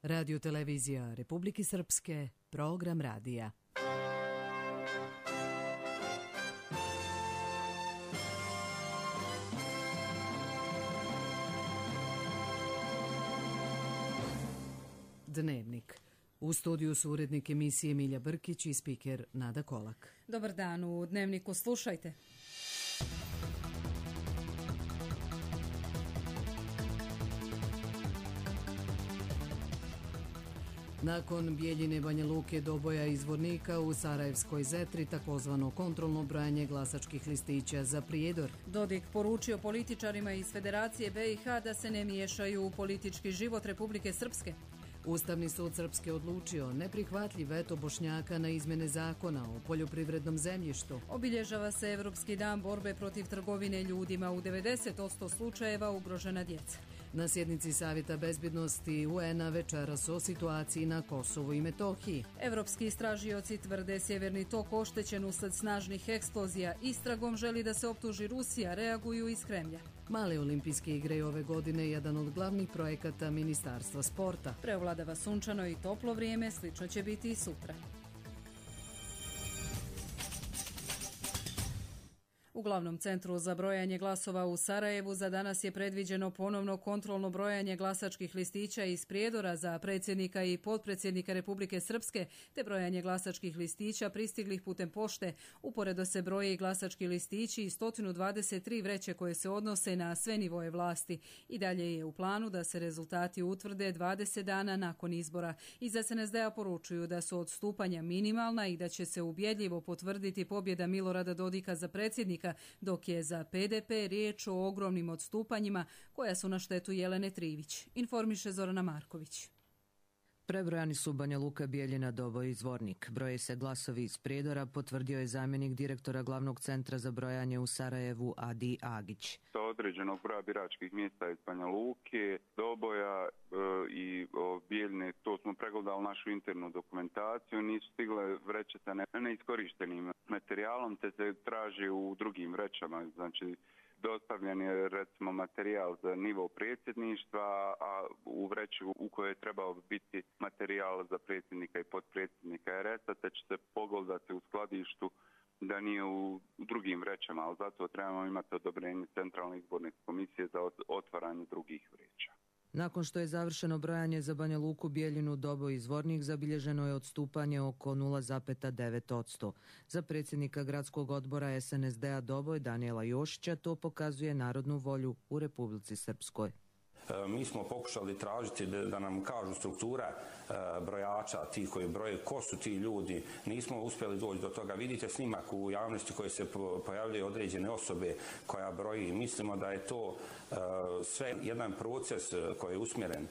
Radio televizija Republike Srpske, program radija. Dnevnik. U studiju su urednik emisije Milja Brkić i spiker Nada Kolak. Dobar dan, u Dnevniku slušajte. Nakon Bijeljine, Banja Luke, Doboja i Zvornika u Sarajevskoj Zetri takozvano kontrolno brojanje glasačkih listića za Prijedor. Dodik poručio političarima iz Federacije BiH da se ne miješaju u politički život Republike Srpske. Ustavni sud Srpske odlučio neprihvatljiv veto Bošnjaka na izmjene zakona o poljoprivrednom zemljištu. Obilježava se Evropski dan borbe protiv trgovine ljudima, u 90% slučajeva ugrožena djeca. Na sjednici Savjeta bezbjednosti UN-a večeras o situaciji na Kosovu i Metohiji. Evropski istražioci tvrde Sjeverni tok oštećen usled snažnih eksplozija. Istragom želi da se optuži Rusija, reaguju iz Kremlja. Male olimpijske igre je ove godine jedan od glavnih projekata Ministarstva sporta. Preovladava sunčano i toplo vrijeme, slično će biti i sutra. U glavnom centru za brojanje glasova u Sarajevu za danas je predviđeno ponovno kontrolno brojanje glasačkih listića iz Prijedora za predsjednika i potpredsjednika Republike Srpske, te brojanje glasačkih listića pristiglih putem pošte. Uporedo se broje i glasački listići i 123 vreće koje se odnose na sve nivoje vlasti. I dalje je u planu da se rezultati utvrde 20 dana nakon izbora. Iz SNSD-a poručuju da su odstupanja minimalna i da će se ubjedljivo potvrditi pobjeda Milorada Dodika za predsjednika, dok je za PDP riječ o ogromnim odstupanjima koja su na štetu Jelene Trivić, informiše Zorana Marković. Prebrojani su Banja Luka, Bijeljina, Doboj i Zvornik. Broje se glasovi iz Prijedora, potvrdio je zamjenik direktora glavnog centra za brojanje u Sarajevu Adi Agić. Sa određenog broja biračkih mjesta iz Banja Luke, Doboja i Bijeljine, to smo pregledali našu internu dokumentaciju, nisu stigle vreće sa neiskorištenim materijalom, te se traži u drugim vrećama, znači dostavljen je recimo materijal za nivo predsjedništva, a u vreći u kojoj je trebao biti materijal za predsjednika i potpredsjednika RS-a, te će se pogledati u skladištu da nije u drugim vrećama, ali zato trebamo imati odobrenje Centralne izborne komisije za otvaranje drugih vreća. Nakon što je završeno brojanje za Banja Luku, Bijeljinu, Doboj i Zvornik, zabilježeno je odstupanje oko 0,9%. Za predsjednika gradskog odbora SNSD-a Doboj Danijela Jošića to pokazuje narodnu volju u Republici Srpskoj. Mi smo pokušali tražiti da nam kažu struktura brojača, ti koji broje, ko su ti ljudi. Nismo uspjeli doći do toga. Vidite snimak u javnosti koji se pojavljaju određene osobe koja broji. Mislimo da je to sve jedan proces koji je usmjeren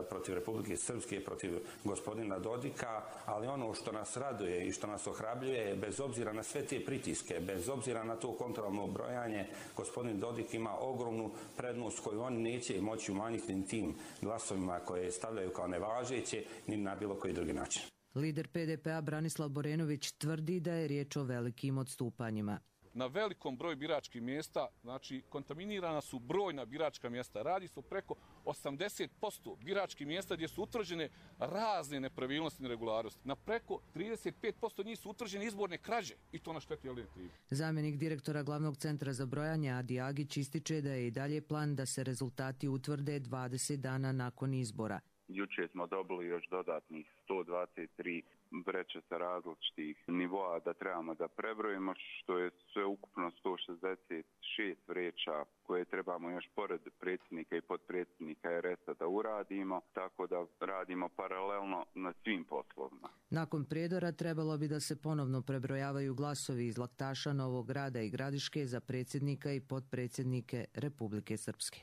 protiv Republike Srpske, protiv gospodina Dodika, ali ono što nas raduje i što nas ohrabljuje, bez obzira na sve te pritiske, bez obzira na to kontrolno brojanje, gospodin Dodik ima ogromnu prednost koju oni neće moći umanjiti ni tim glasovima koje stavljaju kao nevažeće, ni na bilo koji drugi način. Lider PDP-a Branislav Borenović tvrdi da je riječ o velikim odstupanjima. Na velikom broju biračkih mjesta, znači kontaminirana su brojna biračka mjesta. Radi se o preko 80% biračkih mjesta gdje su utvrđene razne nepravilnosti i neregularnosti. Na preko 35% njih su utvrđene izborne krađe i to na štetu Jelene Trivić. Zamjenik direktora glavnog centra za brojanje Adi Agić ističe da je i dalje plan da se rezultati utvrde 20 dana nakon izbora. Jučer smo dobili još dodatnih 123 vreće sa različitih nivoa da trebamo da prebrojimo, što je sve ukupno 166 vreća koje trebamo još pored predsjednika i potpredsjednika RS-a da uradimo, tako da radimo paralelno na svim poslovima. Nakon Prijedora trebalo bi da se ponovno prebrojavaju glasovi iz Laktaša, Novog Grada i Gradiške za predsjednika i potpredsjednike Republike Srpske.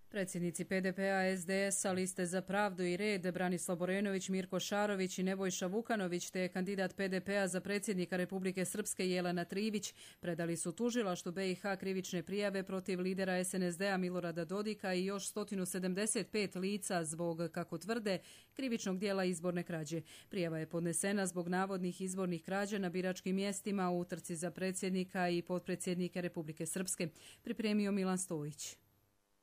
Predsjednici PDP-a, SDS-a, Liste za pravdu i red Branislav Borenović, Mirko Šarović i Nebojša Vukanović te kandidat PDP-a za predsjednika Republike Srpske Jelena Trivić predali su tužilaštvu BiH krivične prijave protiv lidera SNSD-a Milorada Dodika i još 175 lica zbog, kako tvrde, krivičnog dijela izborne krađe. Prijava je podnesena zbog navodnih izbornih krađa na biračkim mjestima u utrci za predsjednika i potpredsjednike Republike Srpske. Pripremio Milan Stojić.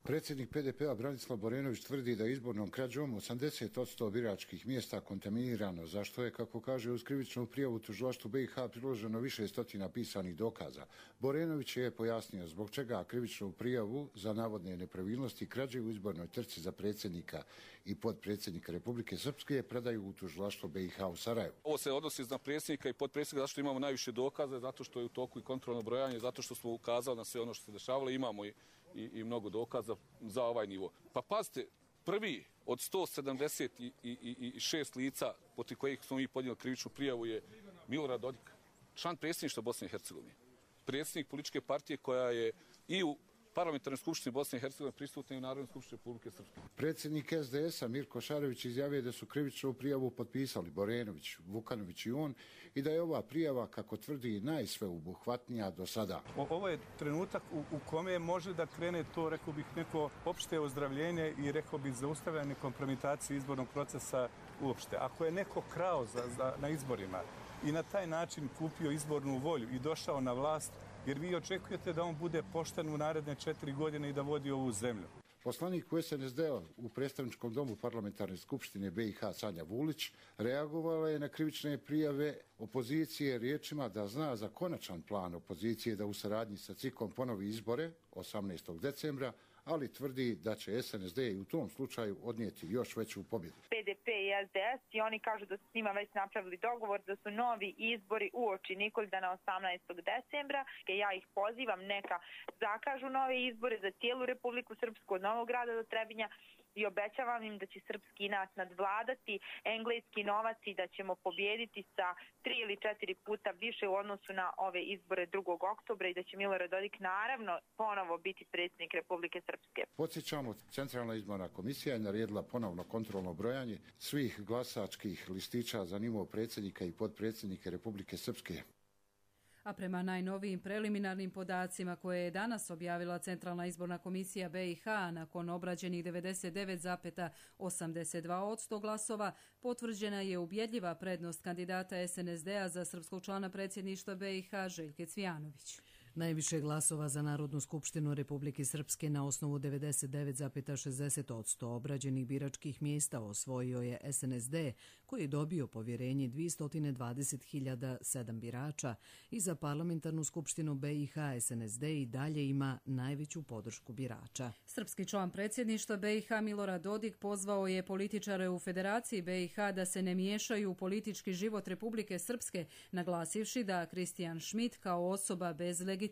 Predsjednik PDP-a Branislav Borenović tvrdi da je izbornom krađom 80% biračkih mjesta kontaminirano, za što je, kako kaže, uz krivičnu prijavu tužilaštvu BiH priloženo više stotina pisanih dokaza. Borenović je pojasnio zbog čega krivičnu prijavu za navodne nepravilnosti krađe u izbornoj trci za predsjednika i potpredsjednika Republike Srpske predaju u tužilaštvo BiH u Sarajevu. Ovo se odnosi na predsjednika i potpredsjednika zato što imamo najviše dokaza, zato što je u toku i kontrolno brojanje, zato što smo ukazali na sve ono što se dešavalo, imamo i mnogo dokaza za ovaj nivo. Pa pazite, prvi od 176 lica protiv kojih smo mi podnijeli krivičnu prijavu je Milorad Dodik, član predsjedništva Bosne i Hercegovine, predsjednik političke partije koja je i u Parlamentarnoj skupštini Bosne i Hercegovine prisutna i u Narodnoj skupštini Republike Srpske. Predsjednik SDS-a Mirko Šarević izjavio da su krivičnu prijavu potpisali Borenović, Vukanović i on i da je ova prijava, kako tvrdi, najsveobuhvatnija do sada. Ovo je trenutak u kome može da krene to, rekao bih, neko opšte ozdravljenje i rekao bih zaustavljanje kompromitacije izbornog procesa uopšte. Ako je neko krao na izborima i na taj način kupio izbornu volju i došao na vlast, jer vi očekujete da on bude pošten u naredne 4 godine i da vodi ovu zemlju. Poslanik u SNSD-a u predstavničkom domu Parlamentarne skupštine BiH Sanja Vulić reagovala je na krivične prijave opozicije riječima da zna za konačan plan opozicije da u saradnji sa CIK-om ponovi izbore 18. decembra, ali tvrdi da će SNSD i u tom slučaju odnijeti još veću pobjedu. PDP i SDS i oni kažu da su s njima već napravili dogovor da su novi izbori uoči Nikoldana 18. decembra. Ja ih pozivam neka zakažu nove izbore za cijelu Republiku Srpsku od Novog Grada do Trebinja i obećavam im da će srpski inat nadvladati engleski novac i da ćemo pobijediti sa 3 ili 4 puta više u odnosu na ove izbore 2. oktobra i da će Milorad Dodik naravno ponovo biti predsjednik Republike Srpske. Podsjećamo, Centralna izborna komisija je naredila ponovno kontrolno brojanje svih glasačkih listića za nivo predsjednika i potpredsjednika Republike Srpske. A prema najnovijim preliminarnim podacima koje je danas objavila Centralna izborna komisija BiH nakon obrađenih 99,82% glasova, potvrđena je ubjedljiva prednost kandidata SNSD-a za srpskog člana predsjedništva BiH Željke Cvijanović. Najviše glasova za Narodnu skupštinu Republike Srpske na osnovu 99,60% obrađenih biračkih mjesta osvojio je SNSD, koji je dobio povjerenje 220.007 birača i za Parlamentarnu skupštinu BiH SNSD i dalje ima najveću podršku birača. Srpski član predsjedništva BiH Milorad Dodik pozvao je političare u Federaciji BiH da se ne miješaju u politički život Republike Srpske, naglasivši da Kristijan Schmidt kao osoba bez legitimiteta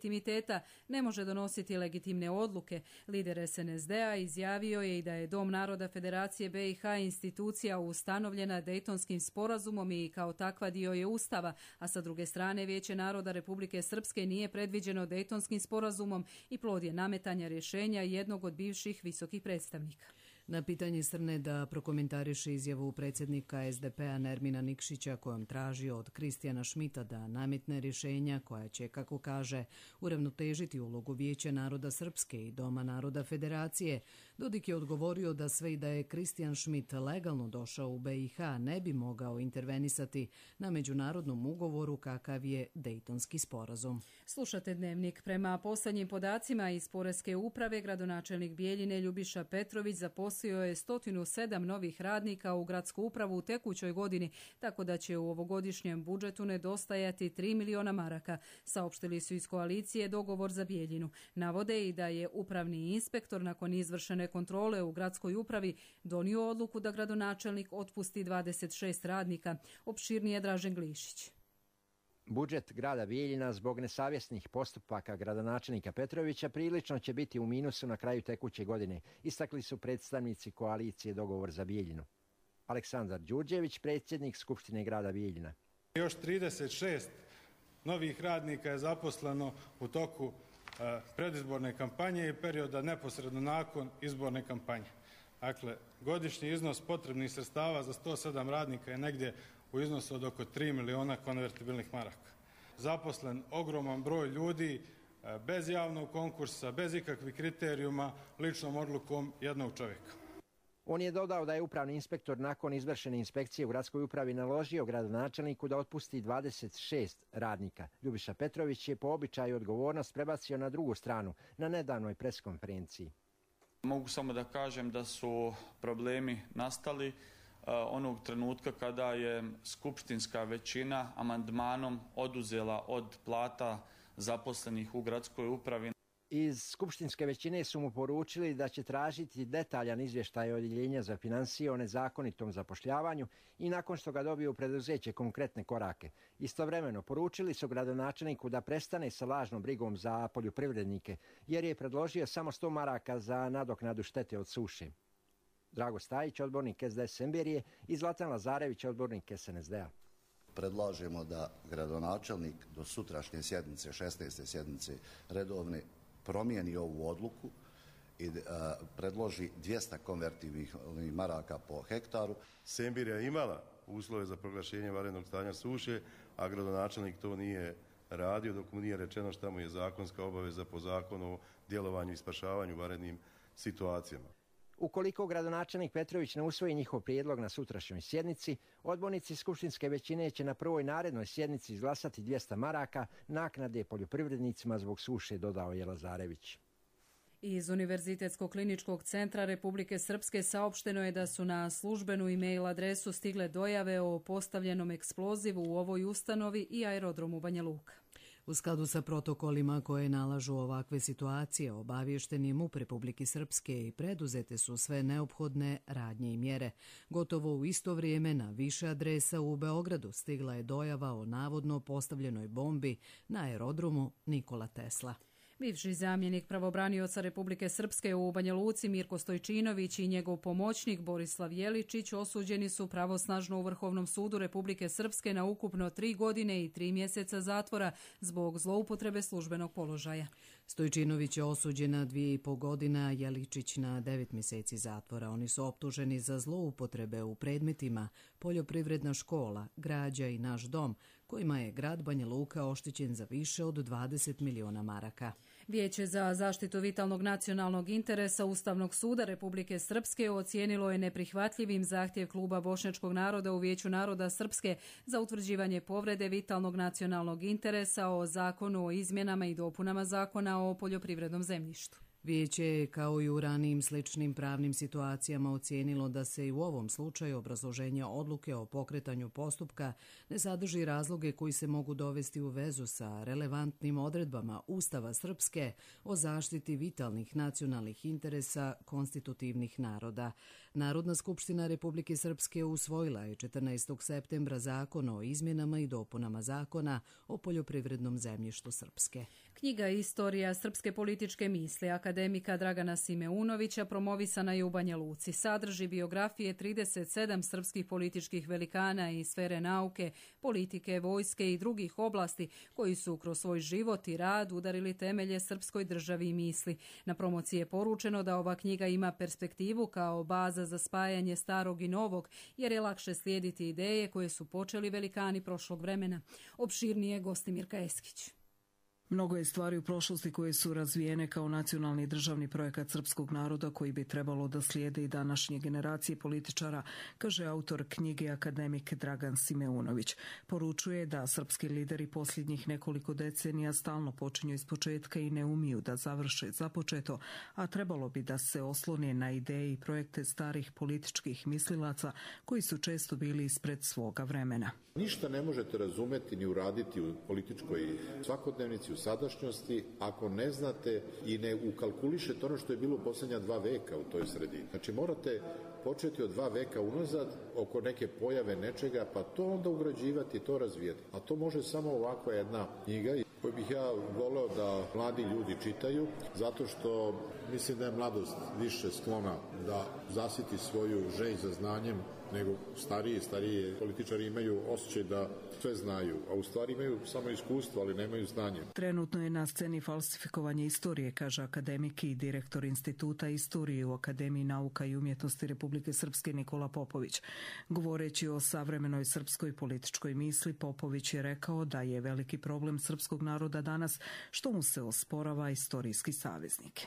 ne može donositi legitimne odluke. Lider SNSD-a izjavio je i da je Dom naroda Federacije BiH institucija ustanovljena Dejtonskim sporazumom i kao takva dio je Ustava, a sa druge strane Vijeće naroda Republike Srpske nije predviđeno Dejtonskim sporazumom i plod je nametanja rješenja jednog od bivših visokih predstavnika. Na pitanje Srne da prokomentariše izjavu predsjednika SDP-a Nermina Nikšića kojom traži od Kristijana Šmita da nametne rješenja koja će, kako kaže, uravnotežiti ulogu Vijeća naroda Srpske i Doma naroda Federacije, Dodik je odgovorio da sve i da je Kristijan Šmit legalno došao u BiH ne bi mogao intervenisati na međunarodnom ugovoru kakav je Dejtonski sporazum. Slušate Dnevnik. Prema posljednjim podacima iz Poreske uprave, gradonačelnik Bijeljine Ljubiša Petrović zaposlio je 107 novih radnika u gradsku upravu u tekućoj godini, tako da će u ovogodišnjem budžetu nedostajati 3 miliona maraka. Saopštili su iz koalicije dogovor za Bijeljinu. Navode i da je upravni inspektor nakon izvršene kontrole u gradskoj upravi donio odluku da gradonačelnik otpusti 26 radnika. Opširnije Dražen Glišić. Budžet grada Bijeljina zbog nesavjesnih postupaka gradonačelnika Petrovića prilično će biti u minusu na kraju tekuće godine, istakli su predstavnici koalicije dogovor za Bijeljinu. Aleksandar Đurđević, predsjednik Skupštine grada Bijeljina. Još 36 novih radnika je zaposleno u toku predizborne kampanje i perioda neposredno nakon izborne kampanje. Dakle, godišnji iznos potrebnih sredstava za 107 radnika je negdje u iznosu od oko 3 miliona konvertibilnih maraka. Zaposlen ogroman broj ljudi, bez javnog konkursa, bez ikakvih kriterijuma, ličnom odlukom jednog čovjeka. On je dodao da je upravni inspektor nakon izvršene inspekcije u gradskoj upravi naložio gradonačelniku da otpusti 26 radnika. Ljubiša Petrović je po običaju odgovornost prebacio na drugu stranu na nedavnoj preskonferenciji. Mogu samo da kažem da su problemi nastali onog trenutka kada je skupštinska većina amandmanom oduzela od plata zaposlenih u gradskoj upravi. Iz skupštinske većine su mu poručili da će tražiti detaljan izvještaj odjeljenja za financije o nezakonitom zapošljavanju i nakon što ga dobiju preduzeće konkretne korake. Istovremeno poručili su gradonačelniku da prestane sa lažnom brigom za poljoprivrednike, jer je predložio samo 100 maraka za nadoknadu štete od suše. Drago Stajić, odbornik SDS Semberije, i Zlatan Lazarević, odbornik SNSD-a. Predlažemo da gradonačelnik do sutrašnje sjednice, 16. sjednice redovne, promijeni ovu odluku i predloži 200 konvertivnih maraka po hektaru. Semberija je imala uslove za proglašenje vanrednog stanja suše, a gradonačelnik to nije radio dok mu nije rečeno šta mu je zakonska obaveza po zakonu o djelovanju i spašavanju u vanrednim situacijama. Ukoliko gradonačelnik Petrović ne usvoji njihov prijedlog na sutrašnjoj sjednici, odbornici skupštinske većine će na prvoj narednoj sjednici izglasati 200 maraka naknade poljoprivrednicima zbog suše, dodao je Lazarević. Iz Univerzitetskog kliničkog centra Republike Srpske saopšteno je da su na službenu e-mail adresu stigle dojave o postavljenom eksplozivu u ovoj ustanovi i aerodromu Banja Luka. U skladu sa protokolima koje nalažu ovakve situacije, obaviješten je MUP Republike Srpske i preduzete su sve neophodne radnje i mjere. Gotovo u isto vrijeme na više adresa u Beogradu stigla je dojava o navodno postavljenoj bombi na aerodromu Nikola Tesla. Bivši zamjenik pravobranioca Republike Srpske u Banja Luci Mirko Stojčinović i njegov pomoćnik Borislav Jeličić osuđeni su pravosnažno u Vrhovnom sudu Republike Srpske na ukupno 3 godine i 3 mjeseca zatvora zbog zloupotrebe službenog položaja. Stojčinović je osuđen na 2,5 godina, Jeličić na 9 mjeseci zatvora. Oni su optuženi za zloupotrebe u predmetima poljoprivredna škola, građa i naš dom, kojima je grad Banja Luka oštećen za više od 20 miliona maraka. Vijeće za zaštitu vitalnog nacionalnog interesa Ustavnog suda Republike Srpske ocijenilo je neprihvatljivim zahtjev Kluba bošnjačkog naroda u Vijeću naroda Srpske za utvrđivanje povrede vitalnog nacionalnog interesa o zakonu o izmjenama i dopunama zakona o poljoprivrednom zemljištu. Vijeće je, kao i u ranijim sličnim pravnim situacijama, ocijenilo da se i u ovom slučaju obrazloženja odluke o pokretanju postupka ne sadrži razloge koji se mogu dovesti u vezu sa relevantnim odredbama Ustava Srpske o zaštiti vitalnih nacionalnih interesa konstitutivnih naroda. Narodna skupština Republike Srpske usvojila je 14. septembra zakon o izmjenama i dopunama zakona o poljoprivrednom zemljištu Srpske. Knjiga Istorija srpske političke misli akademika Dragana Simeunovića promovisana je u Banja Luci. Sadrži biografije 37 srpskih političkih velikana iz sfere nauke, politike, vojske i drugih oblasti koji su kroz svoj život i rad udarili temelje srpskoj državi i misli. Na promociji je poručeno da ova knjiga ima perspektivu kao baza za spajanje starog i novog, jer je lakše slijediti ideje koje su počeli velikani prošlog vremena. Opširnije Gostimirka Eskić. Mnogo je stvari u prošlosti koje su razvijene kao nacionalni državni projekat srpskog naroda koji bi trebalo da slijede i današnje generacije političara, kaže autor knjige akademik Dragan Simeunović. Poručuje da srpski lideri posljednjih nekoliko decenija stalno počinju iz početka i ne umiju da završe započeto, a trebalo bi da se oslone na ideje i projekte starih političkih mislilaca koji su često bili ispred svoga vremena. Ništa ne možete razumeti ni uraditi u političkoj svakodnevnici, u sadašnjosti, ako ne znate i ne ukalkulišete ono što je bilo u posljednja 2 veka u toj sredini. Znači morate početi od 2 veka unazad oko neke pojave nečega, pa to onda ugrađivati i to razvijati. A to može samo ovakva jedna knjiga koju bih ja voleo da mladi ljudi čitaju, zato što mislim da je mladost više sklona da zasiti svoju želju za znanjem nego stariji političari imaju osjećaj da sve znaju, a u stvari imaju samo iskustvo, ali nemaju znanje. Trenutno je na sceni falsifikovanje istorije, kaže akademik i direktor Instituta istorije u Akademiji nauka i umjetnosti Republike Srpske Nikola Popović. Govoreći o savremenoj srpskoj političkoj misli, Popović je rekao da je veliki problem srpskog naroda danas što mu se osporava istorijski saveznik.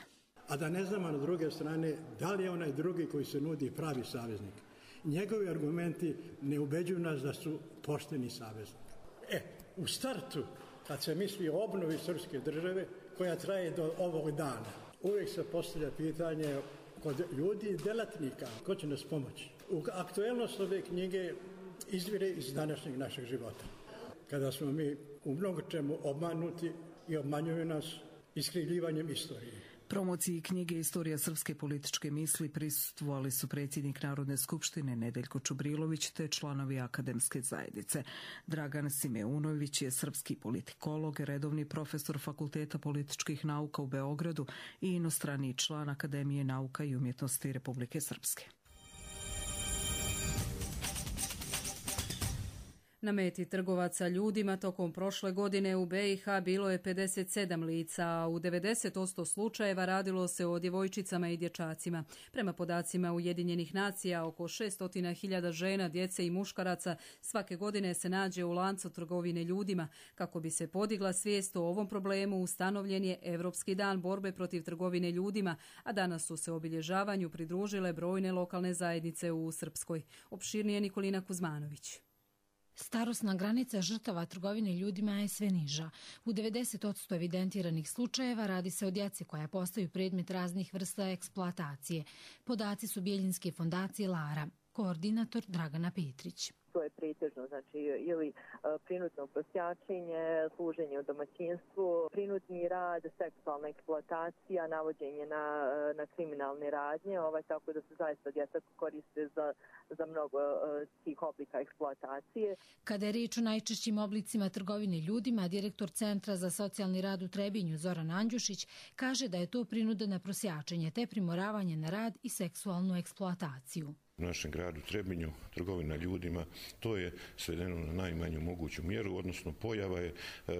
A da ne znamo na druge strane da li je onaj drugi koji se nudi pravi saveznik. Njegovi argumenti ne ubeđuju nas da su pošteni saveznik. U startu, kad se misli o obnovi srpske države, koja traje do ovog dana, uvijek se postavlja pitanje kod ljudi i delatnika. Ko će nas pomoći? Aktuelnost ove knjige izvire iz današnjeg našeg života. Kada smo mi u mnogo čemu obmanuti i obmanjuju nas iskrivljivanjem istorije. Promociji knjige Istorija srpske političke misli prisustvovali su predsjednik Narodne skupštine Nedeljko Čubrilović te članovi akademske zajednice. Dragan Simeunović je srpski politikolog, redovni profesor Fakulteta političkih nauka u Beogradu i inostrani član Akademije nauka i umjetnosti Republike Srpske. Na meti trgovaca ljudima tokom prošle godine u BiH bilo je 57 lica, a u 90% slučajeva radilo se o djevojčicama i dječacima. Prema podacima Ujedinjenih nacija, oko 600.000 žena, djece i muškaraca svake godine se nađe u lancu trgovine ljudima. Kako bi se podigla svijest o ovom problemu, ustanovljen je Evropski dan borbe protiv trgovine ljudima, a danas su se obilježavanju pridružile brojne lokalne zajednice u Srpskoj. Opširnije Nikolina Kuzmanović. Starosna granica žrtava trgovine ljudima je sve niža. U 90% evidentiranih slučajeva radi se o djeci koja postaju predmet raznih vrsta eksploatacije. Podaci su Bijeljinske fondacije Lara, koordinator Dragana Petrić. To je pretežno, znači ili prinudno prosjačenje, služenje u domaćinstvu, prinudni rad, seksualna eksploatacija, navođenje na kriminalne radnje, tako da se zaista djeca koriste za mnogo tih oblika eksploatacije. Kada je riječ o najčešćim oblicima trgovine ljudima, direktor Centra za socijalni rad u Trebinju Zoran Andjušić kaže da je to prinuda na prosjačenje te primoravanje na rad i seksualnu eksploataciju. U našem gradu Trebinju trgovina ljudima, to je svedeno na najmanju moguću mjeru, odnosno pojava je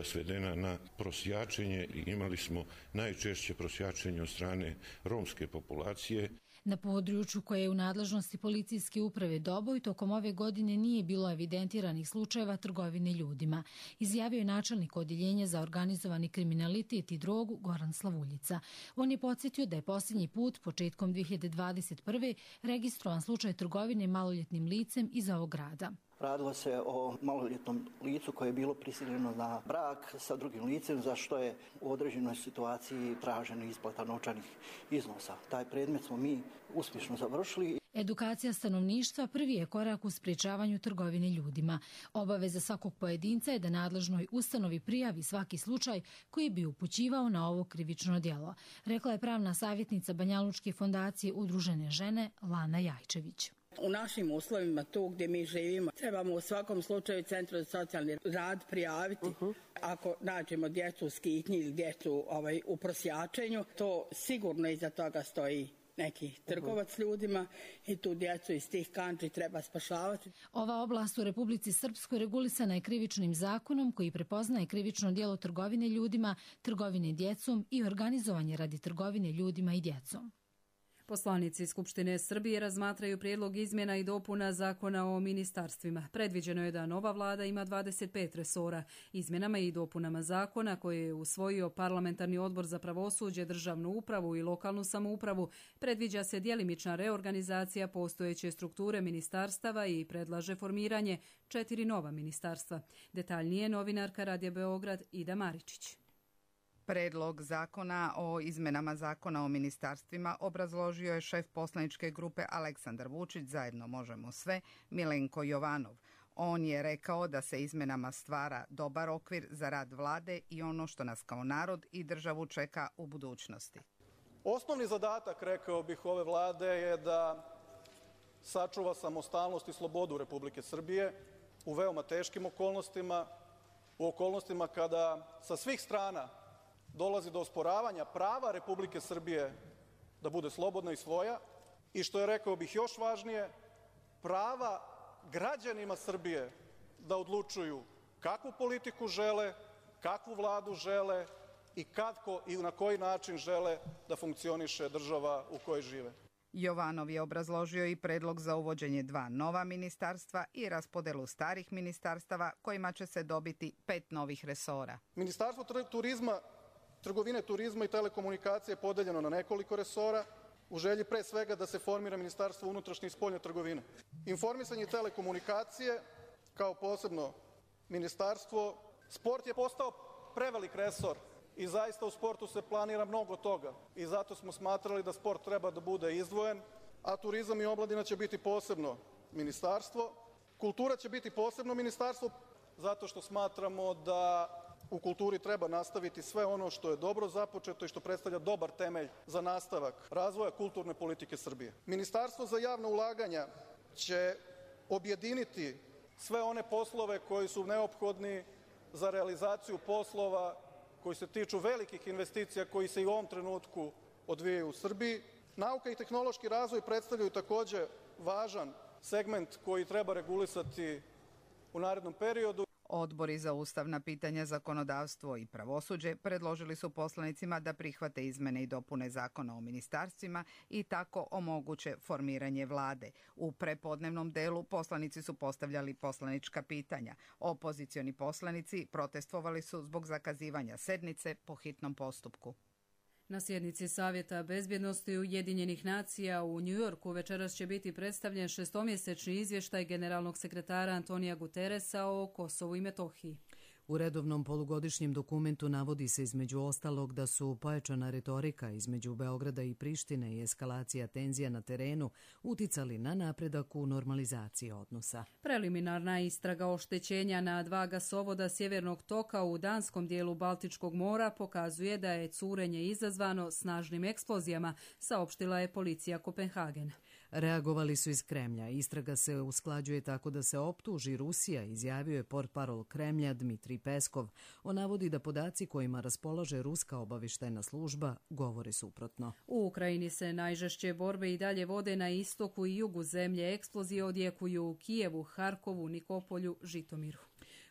svedena na prosjačenje i imali smo najčešće prosjačenje od strane romske populacije. Na području koje je u nadležnosti policijske uprave Doboj tokom ove godine nije bilo evidentiranih slučajeva trgovine ljudima, izjavio je načelnik odjeljenja za organizovani kriminalitet i drogu Goran Slavuljica. On je podsjetio da je posljednji put, početkom 2021. registrovan slučaj trgovine maloljetnim licem iz ovog grada. Radilo se o maloljetnom licu koje je bilo prisiljeno na brak sa drugim licem, za što je u određenoj situaciji tražena isplata novčanih iznosa. Taj predmet smo mi uspješno završili. Edukacija stanovništva prvi je korak u sprječavanju trgovine ljudima. Obaveza svakog pojedinca je da nadležnoj ustanovi prijavi svaki slučaj koji bi upućivao na ovo krivično djelo, rekla je pravna savjetnica Banjalučke fondacije Udružene žene Lana Jajčević. U našim uslovima, tu gdje mi živimo, trebamo u svakom slučaju Centru za socijalni rad prijaviti. Ako nađemo djecu u skitnji ili djecu u prosjačenju, to sigurno iza toga stoji neki trgovac ljudima i tu djecu iz tih kandži treba spašavati. Ova oblast u Republici Srpskoj regulisana je krivičnim zakonom koji prepoznaje krivično djelo trgovine ljudima, trgovine djecom i organizovanje radi trgovine ljudima i djecom. Poslanici Skupštine Srbije razmatraju prijedlog izmjena i dopuna Zakona o ministarstvima. Predviđeno je da nova vlada ima 25 resora. Izmjenama i dopunama zakona koje je usvojio Parlamentarni odbor za pravosuđe, državnu upravu i lokalnu samoupravu predviđa se djelimična reorganizacija postojeće strukture ministarstava i predlaže formiranje 4 nova ministarstva. Detaljnije novinarka Radija Beograd Ida Maričić. Predlog zakona o izmenama zakona o ministarstvima obrazložio je šef poslaničke grupe Aleksandar Vučić, Zajedno možemo sve, Milenko Jovanov. On je rekao da se izmenama stvara dobar okvir za rad vlade i ono što nas kao narod i državu čeka u budućnosti. Osnovni zadatak, rekao bih, ove vlade je da sačuva samostalnost i slobodu Republike Srbije u veoma teškim okolnostima, u okolnostima kada sa svih strana dolazi do osporavanja prava Republike Srbije da bude slobodna i svoja i, što je, rekao bih, još važnije, prava građanima Srbije da odlučuju kakvu politiku žele, kakvu vladu žele i kako i na koji način žele da funkcioniše država u kojoj žive. Jovanov je obrazložio i predlog za uvođenje 2 nova ministarstva i raspodelu starih ministarstava kojima će se dobiti 5 novih resora. Ministarstvo turizma, trgovine, turizma i telekomunikacije je podeljeno na nekoliko resora u želji pre svega da se formira Ministarstvo unutrašnje i spoljne trgovine. Informisanje i telekomunikacije kao posebno ministarstvo. Sport je postao prevelik resor i zaista u sportu se planira mnogo toga i zato smo smatrali da sport treba da bude izdvojen, a turizam i omladina će biti posebno ministarstvo. Kultura će biti posebno ministarstvo zato što smatramo da u kulturi treba nastaviti sve ono što je dobro započeto i što predstavlja dobar temelj za nastavak razvoja kulturne politike Srbije. Ministarstvo za javna ulaganja će objediniti sve one poslove koji su neophodni za realizaciju poslova koji se tiču velikih investicija koji se i u ovom trenutku odvijaju u Srbiji. Nauka i tehnološki razvoj predstavljaju takođe važan segment koji treba regulisati u narednom periodu. Odbori za ustavna pitanja, zakonodavstvo i pravosuđe predložili su poslanicima da prihvate izmene i dopune zakona o ministarstvima i tako omoguće formiranje vlade. U prepodnevnom delu poslanici su postavljali poslanička pitanja. Opozicioni poslanici protestvovali su zbog zakazivanja sednice po hitnom postupku. Na sjednici Savjeta bezbjednosti Ujedinjenih nacija u Njujorku večeras će biti predstavljen šestomjesečni izvještaj generalnog sekretara Antonija Guterresa o Kosovu i Metohiji. U redovnom polugodišnjem dokumentu navodi se između ostalog da su pojačana retorika između Beograda i Prištine i eskalacija tenzija na terenu uticali na napredak u normalizaciji odnosa. Preliminarna istraga oštećenja na 2 gasovoda Sjevernog toka u danskom dijelu Baltičkog mora pokazuje da je curenje izazvano snažnim eksplozijama, saopštila je policija Kopenhagena. Reagovali su iz Kremlja. Istraga se usklađuje tako da se optuži Rusija, izjavio je portparol Kremlja Dmitrij Peskov. On navodi da podaci kojima raspolaže ruska obavještajna služba govore suprotno. U Ukrajini se najžešće borbe i dalje vode na istoku i jugu zemlje. Eksplozije odjekuju u Kijevu, Harkovu, Nikopolju, Žitomiru.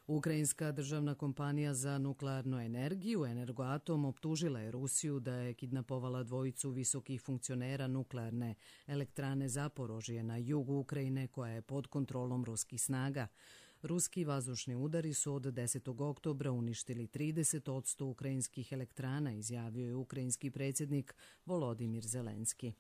Ukrajinska državna kompanija za nuklearnu energiju Energoatom optužila je Rusiju da je kidnapovala 2 visokih funkcionera nuklearne elektrane Zaporožje na jugu Ukrajine koja je pod kontrolom ruskih snaga. Ruski vazdušni udari su od 10. oktobra uništili 30% ukrajinskih elektrana, izjavio je ukrajinski predsjednik Volodimir Zelenski.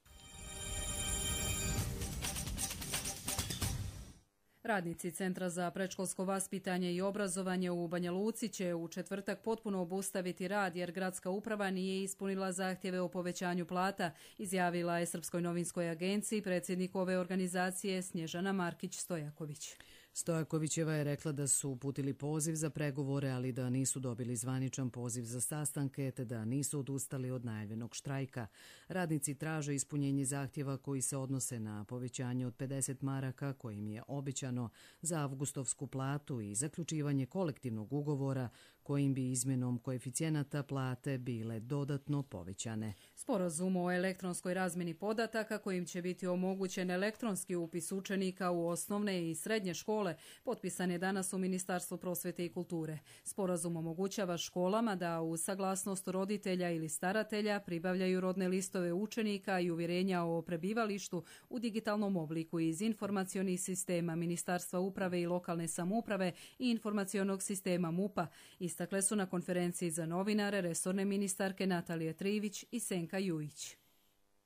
Radnici Centra za predškolsko vaspitanje i obrazovanje u Banja Luci će u četvrtak potpuno obustaviti rad jer gradska uprava nije ispunila zahtjeve o povećanju plata, izjavila je Srpskoj novinskoj agenciji predsjednik ove organizacije Snježana Markić-Stojaković. Stojakovićeva je rekla da su uputili poziv za pregovore, ali da nisu dobili zvaničan poziv za sastanke, te da nisu odustali od najavljenog štrajka. Radnici traže ispunjenje zahtjeva koji se odnose na povećanje od 50 maraka kojim je obećano za avgustovsku platu i zaključivanje kolektivnog ugovora kojim bi izmjenom koeficijenata plate bile dodatno povećane. Sporazum o elektronskoj razmjeni podataka kojim će biti omogućen elektronski upis učenika u osnovne i srednje škole potpisan je danas u Ministarstvu prosvjete i kulture. Sporazum omogućava školama da uz saglasnost roditelja ili staratelja pribavljaju rodne listove učenika i uvjerenja o prebivalištu u digitalnom obliku iz informacionih sistema Ministarstva uprave i lokalne samouprave i informacionog sistema MUP-a. Istakle su na konferenciji za novinare resorne ministarke Natalija Trivić i Senka Jujić.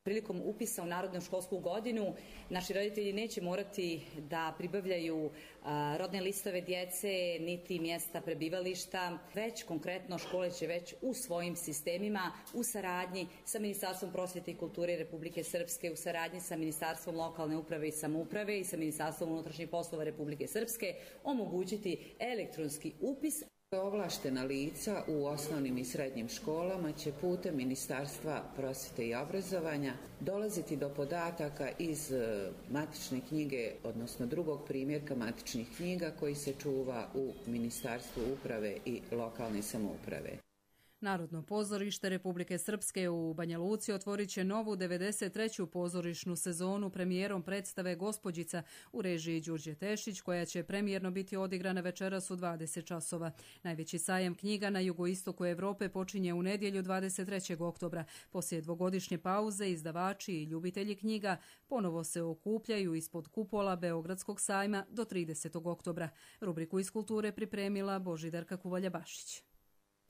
Prilikom upisa u narodnu školsku godinu naši roditelji neće morati da pribavljaju rodne listove djece niti mjesta prebivališta, već konkretno škole će već u svojim sistemima u saradnji sa Ministarstvom prosvjete i kulture Republike Srpske, u saradnji sa Ministarstvom lokalne uprave i samouprave i sa Ministarstvom unutrašnjih poslova Republike Srpske omogućiti elektronski upis. Ovlaštena lica u osnovnim i srednjim školama će putem Ministarstva prosvjete i obrazovanja dolaziti do podataka iz matične knjige, odnosno drugog primjerka matičnih knjiga koji se čuva u Ministarstvu uprave i lokalne samouprave. Narodno pozorište Republike Srpske u Banja Luci otvorit će novu 93. pozorišnu sezonu premijerom predstave Gospođica u režiji Đurđe Tešić, koja će premijerno biti odigrana večeras u 20 časova. Najveći sajam knjiga na jugoistoku Evrope počinje u nedjelju 23. oktobra. Poslije dvogodišnje pauze izdavači i ljubitelji knjiga ponovo se okupljaju ispod kupola Beogradskog sajma do 30. oktobra. Rubriku iz kulture pripremila Božidarka Kuvalja-Bašić.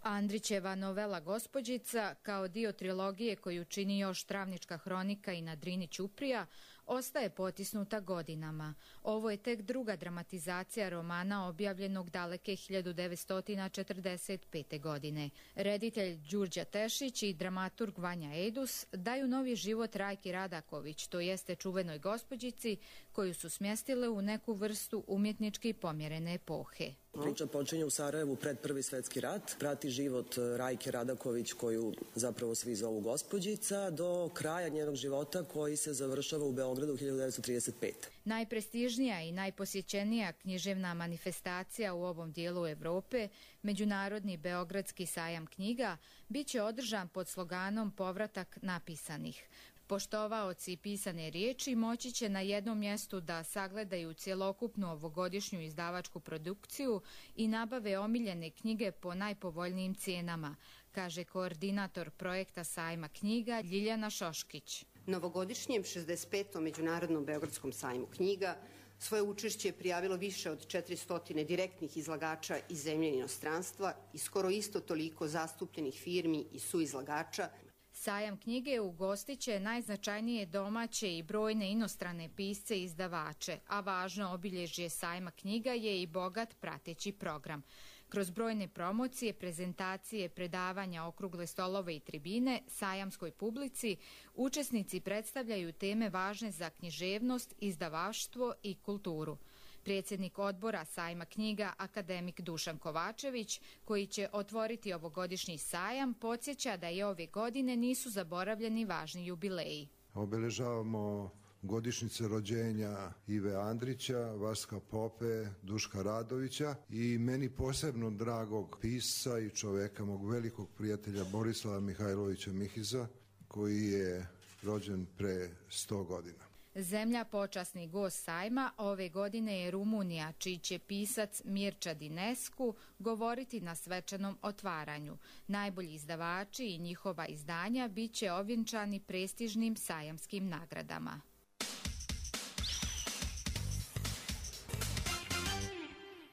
Andrićeva novela Gospođica, kao dio trilogije koju čini još Travnička hronika i Na Drini ćuprija, ostaje potisnuta godinama. Ovo je tek druga dramatizacija romana objavljenog daleke 1945. godine. Reditelj Đurđa Tešić i dramaturg Vanja Ejdus daju novi život Rajki Radaković, to jeste čuvenoj gospođici koju su smjestile u neku vrstu umjetnički pomjerene epohe. Priča počinje u Sarajevu pred Prvi svjetski rat, prati život Rajke Radaković, koju zapravo svi zovu gospođica, do kraja njenog života koji se završava u Beogradu 1935. Najprestižnija i najposjećenija književna manifestacija u ovom dijelu Europe, Međunarodni Beogradski sajam knjiga, bit će održan pod sloganom Povratak napisanih. Poštovaoci pisane riječi moći će na jednom mjestu da sagledaju cjelokupnu ovogodišnju izdavačku produkciju i nabave omiljene knjige po najpovoljnijim cijenama, kaže koordinator projekta sajma knjiga Ljiljana Šoškić. Novogodišnjem 65. Međunarodnom Beogradskom sajmu knjiga svoje učešće je prijavilo više od 400 direktnih izlagača iz zemlje i inostranstva i skoro isto toliko zastupljenih firmi i suizlagača. Sajam knjige ugostit će najznačajnije domaće i brojne inostrane pisce i izdavače, a važno obilježje sajma knjiga je i bogat prateći program. Kroz brojne promocije, prezentacije, predavanja, okrugle stolove i tribine, sajamskoj publici, učesnici predstavljaju teme važne za književnost, izdavaštvo i kulturu. Predsjednik odbora sajma knjiga, akademik Dušan Kovačević, koji će otvoriti ovogodišnji sajam, podsjeća da i ove godine nisu zaboravljeni važni jubileji. Obeležavamo godišnjice rođenja Ive Andrića, Vaska Pope, Duška Radovića i meni posebno dragog pisca i čoveka, mog velikog prijatelja Borislava Mihajlovića Mihiza, koji je rođen pre 100 godina. Zemlja počasni gost sajma ove godine je Rumunija, čiji će pisac Mirča Dinescu govoriti na svečanom otvaranju. Najbolji izdavači i njihova izdanja bit će ovjenčani prestižnim sajamskim nagradama.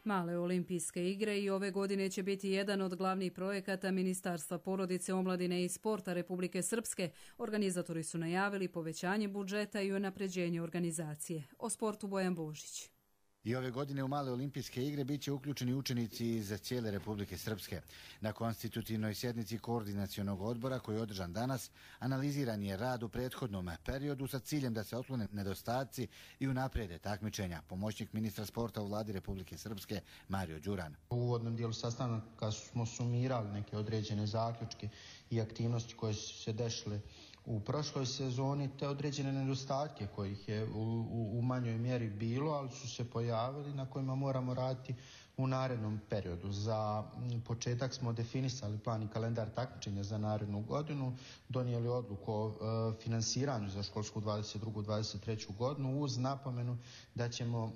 Male olimpijske igre i ove godine će biti jedan od glavnih projekata Ministarstva porodice, omladine i sporta Republike Srpske. Organizatori su najavili povećanje budžeta i unapređenje organizacije. O sportu Bojan Božić. I ove godine u Male olimpijske igre bit će uključeni učenici iz cijele Republike Srpske. Na konstitutivnoj sjednici koordinacionog odbora koji je održan danas, analiziran je rad u prethodnom periodu sa ciljem da se otklone nedostaci i unaprede takmičenja. Pomoćnik ministra sporta u vladi Republike Srpske Mario Đuran. U uvodnom dijelu sastanka smo sumirali neke određene zaključke i aktivnosti koje su se dešle u prošloj sezoni, te određene nedostatke kojih je u manjoj mjeri bilo, ali su se pojavili na kojima moramo raditi u narednom periodu. Za početak smo definisali plan i kalendar takmičenja za narednu godinu, donijeli odluku o finansiranju za školsku 22-23 godinu uz napomenu da ćemo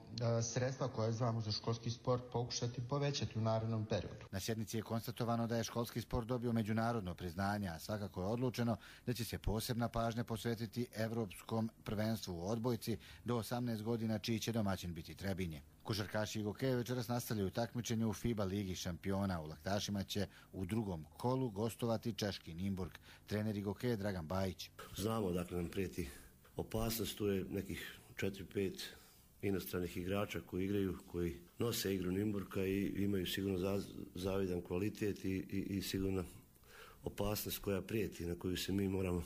sredstva koje izdvajamo za školski sport pokušati povećati u narednom periodu. Na sjednici je konstatovano da je školski sport dobio međunarodno priznanje, a svakako je odlučeno da će se posebna pažnja posvetiti Evropskom prvenstvu u odbojci do 18 godina, čiji će domaćin biti Trebinje. Košarkaši i Gokeje večeras nastavljaju takmičenje u FIBA ligi šampiona. U laktašima će u drugom kolu gostovati češki Nimburg. Trener Gokeje Dragan Bajić. Znamo dakle nam prijeti opasnost, tu je nekih 4-5 inostranih igrača koji igraju, koji nose igru Nimburga i imaju sigurno zavidan kvalitet i sigurno opasnost koja prijeti, na koju se mi moramo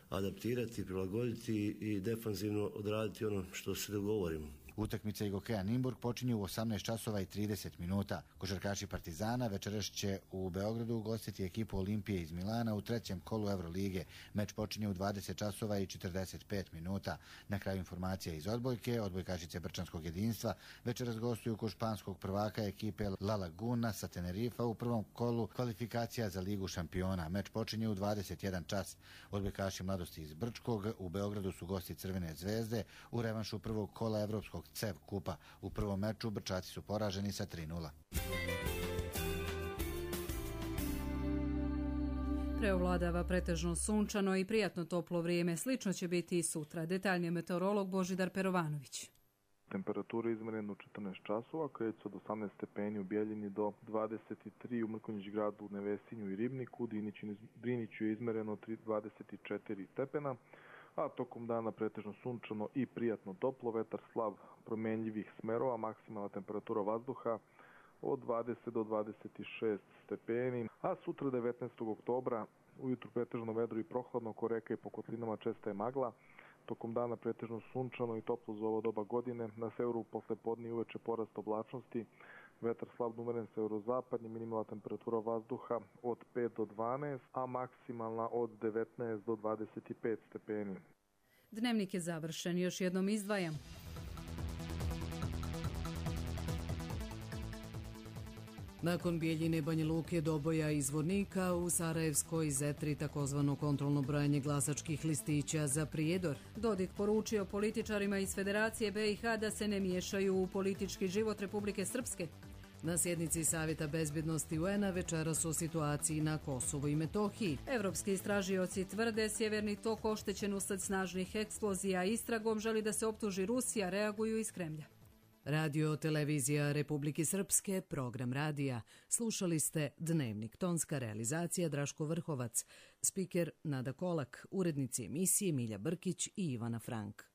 adaptirati, prilagoditi i defanzivno odraditi ono što se dogovorimo. Utakmica Gokeja Nimburg počinje u 18 časova i 30 minuta. Košarkaši Partizana večeras će u Beogradu ugostiti ekipu Olimpije iz Milana u trećem kolu Evrolige. Meč počinje u 20 časova i 45 minuta. Na kraju informacija iz odbojke, odbojkašice Brčanskog jedinstva večeras gostuju kod španskog prvaka ekipe La Laguna sa Tenerifa u prvom kolu kvalifikacija za Ligu šampiona. Meč počinje u 21 čas. Odbojkaši Mladosti iz Brčkog u Beogradu su gosti Crvene zvezde u revanšu prvog kola Evropskog CEV kupa. U prvom meču Brčaci su poraženi sa 3:0. Preovladava pretežno sunčano i prijatno toplo vrijeme. Slično će biti i sutra. Detaljnije meteorolog Božidar Perovanović. Temperatura izmjerena u 14 časova, kreće od 18 stepeni u Bjeljini do 23 u Mrkonjić gradu, Nevesinju i Ribniku. Driniću je izmjereno 24 stepena. a tokom dana pretežno sunčano i prijatno toplo, vetar slab promenljivih smerova, maksimalna temperatura vazduha od 20 do 26 stepeni, a sutra 19. oktobra ujutru pretežno vedro i prohladno, oko reka i po kotlinama česta je magla, tokom dana pretežno sunčano i toplo za ovo doba godine, na severu posle podne i uveče porast oblačnosti, vetar slab umeren severozapadni, minimalna temperatura vazduha od 5 do 12, a maksimalna od 19 do 25 stepeni. Dnevnik je završen, još jednom izdvajam. Nakon Bijeljine, Banja Luke, Doboja i Zvornika u Sarajevskoj Zetri takozvano kontrolno brojanje glasačkih listića za Prijedor. Dodik poručio političarima iz Federacije BiH da se ne miješaju u politički život Republike Srpske. Na sjednici Savjeta bezbjednosti UN-a večeras o situaciji na Kosovu i Metohiji. Evropski istražioci tvrde Sjeverni tok oštećen usled snažnih eksplozija. Istragom želi da se optuži Rusija, reaguju iz Kremlja. Radio Televizija Republike Srpske, program radija. Slušali ste Dnevnik, tonska realizacija Draško Vrhovac, spiker Nada Kolak, urednici emisije Milja Brkić i Ivana Frank.